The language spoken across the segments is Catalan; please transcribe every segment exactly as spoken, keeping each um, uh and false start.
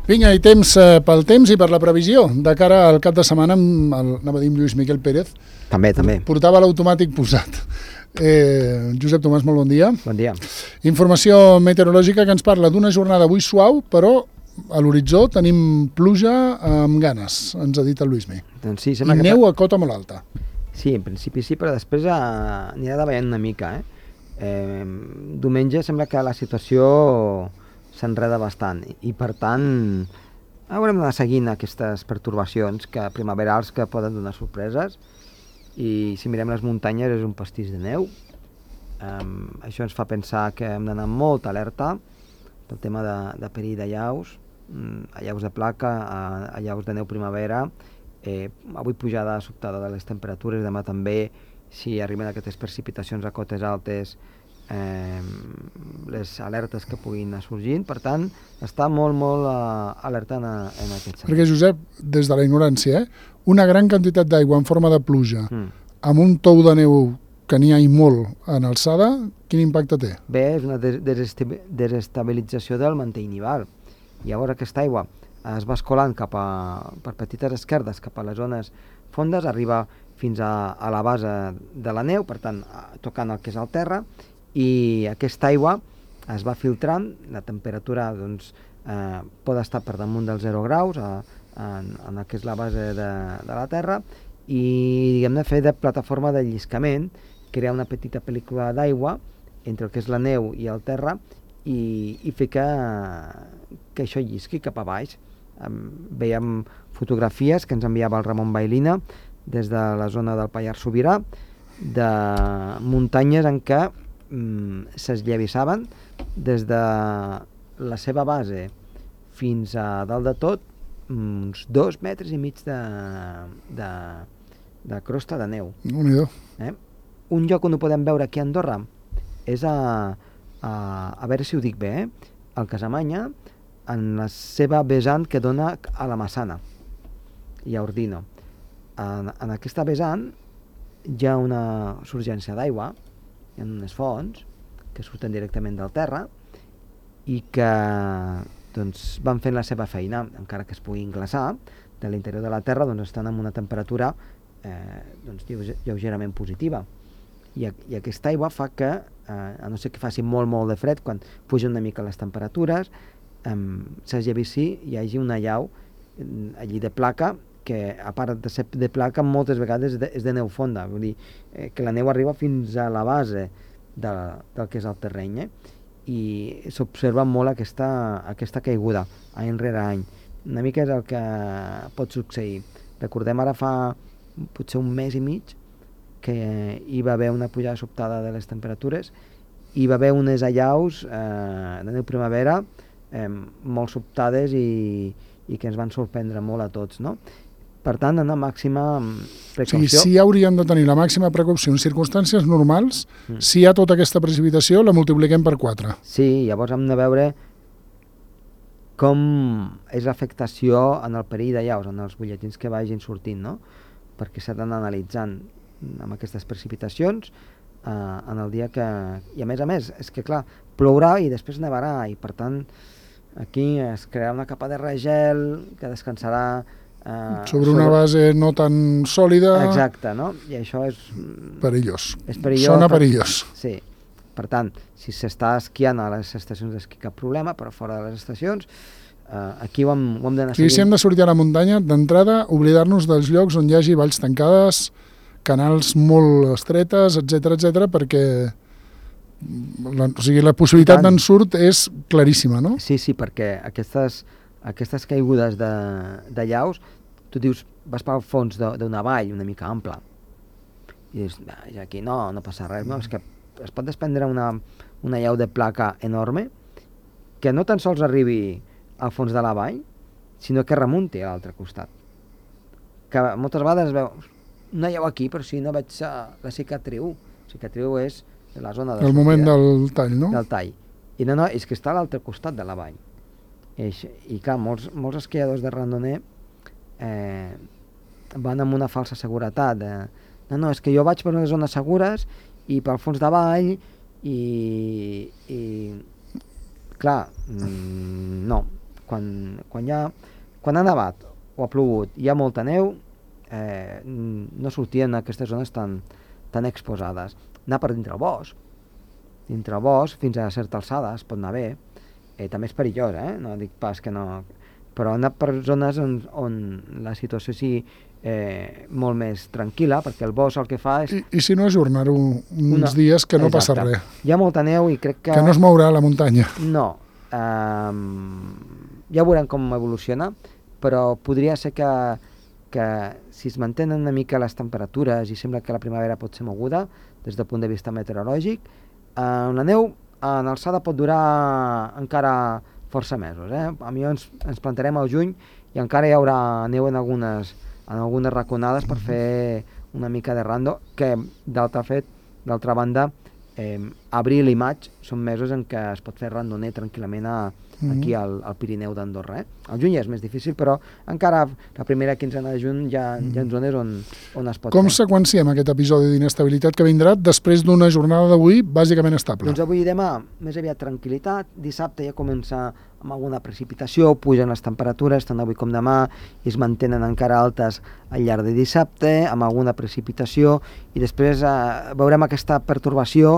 Vinga, i temps eh, pel temps i per la previsió. De cara al cap de setmana, amb el, anava a dir amb Lluís Miquel Pérez, També, també. portava l'automàtic posat. Eh, Josep Tomàs, molt bon dia. Bon dia. Informació meteorològica que ens parla d'una jornada avui suau, però a l'horitzó tenim pluja amb ganes, ens ha dit el Lluís Mi. Doncs sí, I sembla que... neu a cota molt alta. Sí, en principi sí, però després eh, anirà davallant una mica. Eh? Eh, diumenge sembla que la situació s'enreda bastant i per tant haurem d'anar seguint aquestes pertorbacions que primaverals que poden donar sorpreses, i si mirem les muntanyes és un pastís de neu. Um, això ens fa pensar que hem d'anar amb molta alerta pel tema de, de perill d'allaus, allaus de placa, allaus de neu primavera. Eh, avui pujada sobtada de les temperatures, demà també, si arriben aquestes precipitacions a cotes altes, eh, les alertes que puguin anar sorgint. Per tant, està molt, molt uh, alertant en, en aquest sentit. Perquè, Josep, des de la ignorància, eh, una gran quantitat d'aigua en forma de pluja, mm. amb un tou de neu que n'hi ha i molt en alçada, quin impacte té? Bé, és una des desestabilització del mantell nival. Llavors aquesta aigua es va escolant cap a, per petites esquerdes cap a les zones fondes, arriba fins a, a la base de la neu, per tant, tocant el que és el terra, i aquesta aigua es va filtrant, la temperatura doncs, eh, pot estar per damunt dels zero graus a, en, en el que és la base de, de la terra, i diguem-ne fer de plataforma de lliscament, crear una petita pel·lícula d'aigua entre el que és la neu i el terra, i, i fer que, que això llisqui cap a baix. Um, veiem fotografies que ens enviava el Ramon Bailina des de la zona del Pallars Sobirà, de muntanyes en què um, s'esllevissaven des de la seva base fins a dalt de tot uns dos metres i mig de, de, de crosta de neu. Déu-n'hi-do. Eh? Un lloc on ho podem veure aquí a Andorra és a, a, a veure si ho dic bé, eh? al Casamanya, en la seva vessant que dona a la Massana i a Ordino. En, en aquesta vessant hi ha una surgència d'aigua, hi ha unes fonts que surten directament del terra i que doncs, van fent la seva feina, encara que es puguin glaçar, de l'interior de la terra doncs, estan amb una temperatura eh, doncs, lleugerament positiva. I, i aquesta aigua fa que, eh, a no ser que faci molt, molt de fred, quan pugen una mica les temperatures, Um, s'esllevissi i hi hagi una llau um, allí de placa, que a part de ser de placa moltes vegades és de, és de neu fonda, vull dir eh, que la neu arriba fins a la base de, del que és el terreny, eh? I s'observa molt aquesta, aquesta caiguda any rere any. Una mica és el que pot succeir. Recordem ara fa potser un mes i mig que hi va haver una pujada sobtada de les temperatures, hi va haver unes allaus eh, de neu primavera Eh, molt sobtades i, i que ens van sorprendre molt a tots, no? Per tant, en la màxima precaució... O sigui, si hauríem de tenir la màxima precaució en circumstàncies normals, mm. si hi ha tota aquesta precipitació, la multipliquem per quatre. Sí, llavors hem de veure com és l'afectació en el perill d'allaus, en els butlletins que vagin sortint, no? Perquè s'ha d'anar analitzant amb aquestes precipitacions eh, en el dia que... I a més a més, és que clar, plourà i després nevarà, i per tant aquí es crearà una capa de regel que descansarà eh, sobre una sobre... base no tan sòlida. Exacte, no? I això és... perillós. És perillós. Sona per... perillós. Sí. Per tant, si s'està esquiant a les estacions d'esquí, cap problema, però fora de les estacions, eh, aquí ho hem, ho hem d'anar seguint. Si hem de sortir a la muntanya, d'entrada, oblidar-nos dels llocs on hi hagi valls tancades, canals molt estretes, etcètera, etcètera, perquè la, o sigui, la possibilitat d'ensurt és claríssima, no? Sí, sí, perquè aquestes, aquestes caigudes de, de llaus, tu dius, vas pel fons d'una vall una mica ampla, i dius, aquí no, no passa res, no, és que es pot desprendre una, una llau de placa enorme que no tan sols arribi al fons de la vall, sinó que remunti a l'altre costat. Que moltes vegades veus una llau aquí, però si no veig la cicatriu, cicatriu és la zona de el moment del tall, no? Del tall. I no, no, és que està a l'altre costat de la vall. I, i clar, molts, molts esquiadors de randoner eh, van amb una falsa seguretat. Eh, no, no, és que jo vaig per unes zones segures i pel fons de vall i, i clar, mmm, no. quan, quan, hi ha, quan ha nevat o ha plogut, hi ha molta neu, eh, no sortien aquestes zones tan, tan exposades. Anar per dintre el bosc, dintre el bosc, fins a certa alçada, es pot anar bé, eh, també és perillós, eh? No dic pas que no, però anar per zones on, on la situació sigui eh, molt més tranquil·la, perquè el bosc el que fa és... I, i si no, ajornar-ho uns una... dies que no Exacte. passa res. Hi ha molta neu i crec que... Que no es mourà la muntanya. No. Um, ja veurem com evoluciona, però podria ser que, que si es mantenen una mica les temperatures i sembla que la primavera pot ser moguda des del punt de vista meteorològic, eh, la neu en alçada pot durar encara força mesos. Eh? A mi ens, ens plantarem al juny i encara hi haurà neu en algunes, en algunes raconades per fer una mica de rando, que d'altra fet, d'altra banda, eh, abril i maig són mesos en què es pot fer randoner tranquil·lament a, aquí al, al Pirineu d'Andorra. Eh? Al juny ja és més difícil, però encara la primera quinzena de juny hi ha, hi ha zones on, on es pot Com fer. Com seqüenciem aquest episodi d'inestabilitat que vindrà després d'una jornada d'avui bàsicament estable? Doncs avui i demà més aviat tranquil·litat, dissabte ja comença amb alguna precipitació, pugen les temperatures tant avui com demà i es mantenen encara altes al llarg de dissabte amb alguna precipitació i després eh, veurem aquesta pertorbació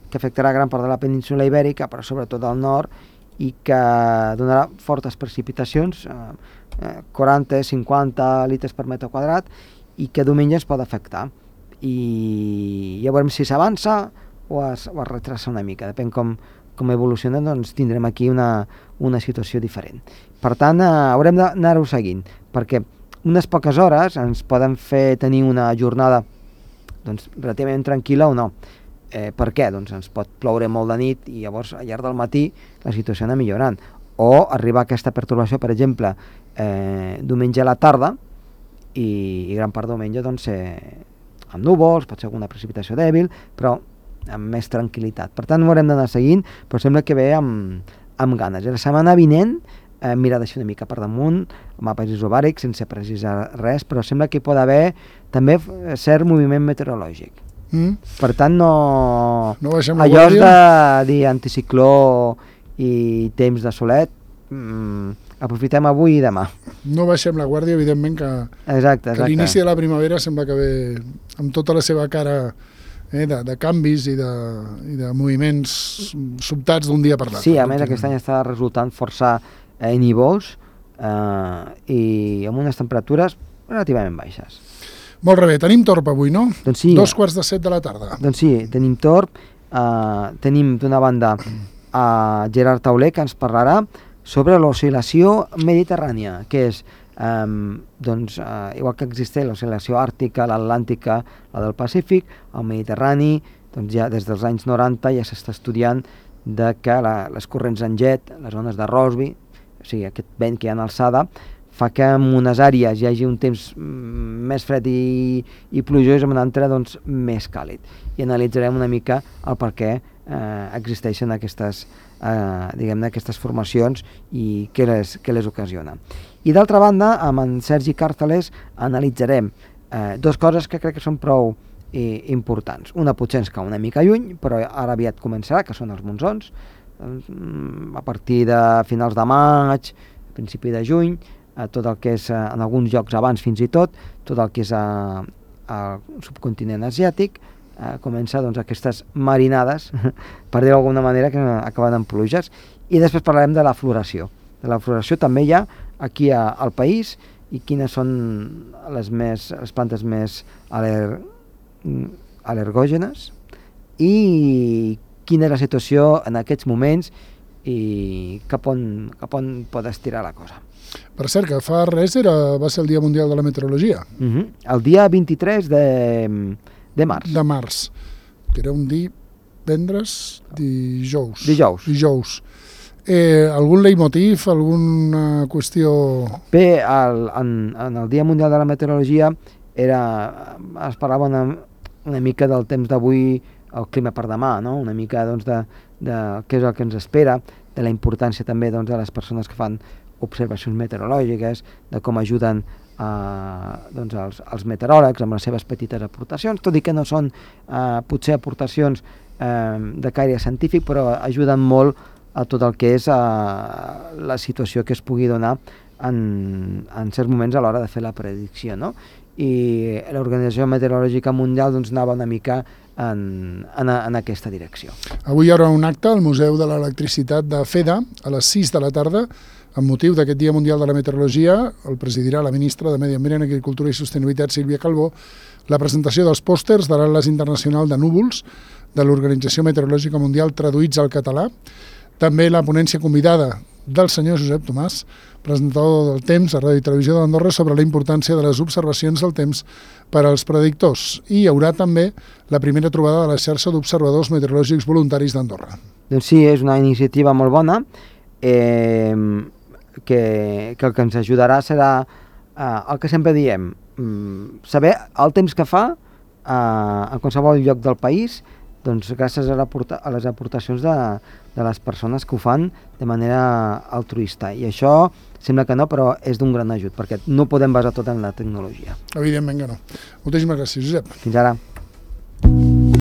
que afectarà gran part de la península Ibèrica, però sobretot al nord, i que donarà fortes precipitacions, eh, quaranta a cinquanta litres per metre quadrat, i que diumenge es pot afectar. I ja veurem si s'avança o es, o es retrasa una mica, depèn com, com evoluciona, doncs tindrem aquí una, una situació diferent. Per tant, eh, haurem d'anar-ho seguint, perquè unes poques hores ens poden fer tenir una jornada doncs, relativament tranquil·la o no. Eh, per què? Doncs ens pot ploure molt de nit i llavors al llarg del matí la situació anar millorant. O arribar a aquesta pertorbació, per exemple, eh, diumenge a la tarda i, i gran part de diumenge doncs, eh, amb núvols, pot ser alguna precipitació dèbil, però amb més tranquil·litat. Per tant, ho haurem d'anar seguint, però sembla que ve amb, amb ganes. I la setmana vinent eh, mira d'això una mica per damunt, mapes isobàrics, sense precisar res, però sembla que hi pot haver també cert moviment meteorològic. Mm. Per tant, no, no allò és de dir anticicló i temps de solet, mm, aprofitem avui i demà. No baixem la guàrdia, evidentment que, exacte, exacte. que l'inici de la primavera sembla que ve amb tota la seva cara eh, de, de canvis i de, i de moviments sobtats d'un dia per l'altre. Sí, a més aquest any està resultant força eh, nivós eh, i amb unes temperatures relativament baixes. Molt bé, tenim torb avui, no? Doncs sí. Dos quarts de set de la tarda. Doncs sí, tenim torb, eh, tenim d'una banda a Gerard Tauler, que ens parlarà sobre l'oscil·lació mediterrània, que és, eh, doncs, eh, igual que existeix l'oscil·lació àrtica, l'Atlàntica, la del Pacífic, el Mediterrani, doncs ja des dels anys noranta ja s'està estudiant de que la, les corrents en jet, les zones de Rossby, o sigui, aquest vent que hi ha en alçada, fa que en unes àrees hi hagi un temps més fred i, i plujós, en una altra doncs, més càlid. I analitzarem una mica el per què eh, existeixen aquestes, eh, diguem-ne, aquestes formacions i què les, què les ocasiona. I d'altra banda, amb en Sergi Càrteles analitzarem eh, dues coses que crec que són prou eh, importants. Una potser ens cau una mica lluny, però ara aviat començarà, que són els monsons, a partir de finals de maig, principi de juny, tot el que és, en alguns llocs abans fins i tot, tot el que és al subcontinent asiàtic, eh, comença doncs, aquestes marinades, per dir-ho d'alguna manera, que acaben en pluges. I després parlarem de la floració. De la floració també hi ha aquí a, al país i quines són les, més, les plantes més aler, al·lergògenes i quina és la situació en aquests moments i cap on, cap on pot estirar la cosa. Per cert, que fa res era, va ser el Dia Mundial de la Meteorologia. Uh-huh. El dia vint-i-tres de, de març. De març, que era un divendres, dijous. Dijous. Dijous. Eh, algun leitmotiv, alguna qüestió... Bé, el, en, en el Dia Mundial de la Meteorologia era, es parlava una, una mica del temps d'avui, el clima per demà, no? Una mica doncs, de, de què és el que ens espera, de la importància també doncs, de les persones que fan observacions meteorològiques, de com ajuden eh, doncs els, els meteoròlegs amb les seves petites aportacions, tot i que no són eh, potser aportacions eh, de caire científic, però ajuden molt a tot el que és a la situació que es pugui donar en, en certs moments a l'hora de fer la predicció, no? I l'Organització Meteorològica Mundial doncs, anava una mica en, en, en aquesta direcció. Avui hi haurà un acte al Museu de l'Electricitat de FEDA a les sis de la tarda amb motiu d'aquest Dia Mundial de la Meteorologia. El presidirà la ministra de Medi Ambient, Agricultura i Sostenibilitat, Sílvia Calbó, la presentació dels pòsters de l'Atles Internacional de Núvols de l'Organització Meteorològica Mundial traduïts al català, també la ponència convidada del senyor Josep Tomàs, presentador del temps a Ràdio i Televisió d'Andorra, sobre la importància de les observacions del temps per als predictors. I hi haurà també la primera trobada de la xarxa d'observadors meteorològics voluntaris d'Andorra. Doncs sí, és una iniciativa molt bona, eh, que, que el que ens ajudarà serà eh, el que sempre diem, saber el temps que fa eh, a qualsevol lloc del país, doncs gràcies a, la, a les aportacions de, de les persones que ho fan de manera altruista. I això sembla que no, però és d'un gran ajut, perquè no podem basar tot en la tecnologia. Evidentment que no. Moltíssimes gràcies, Josep. Fins ara.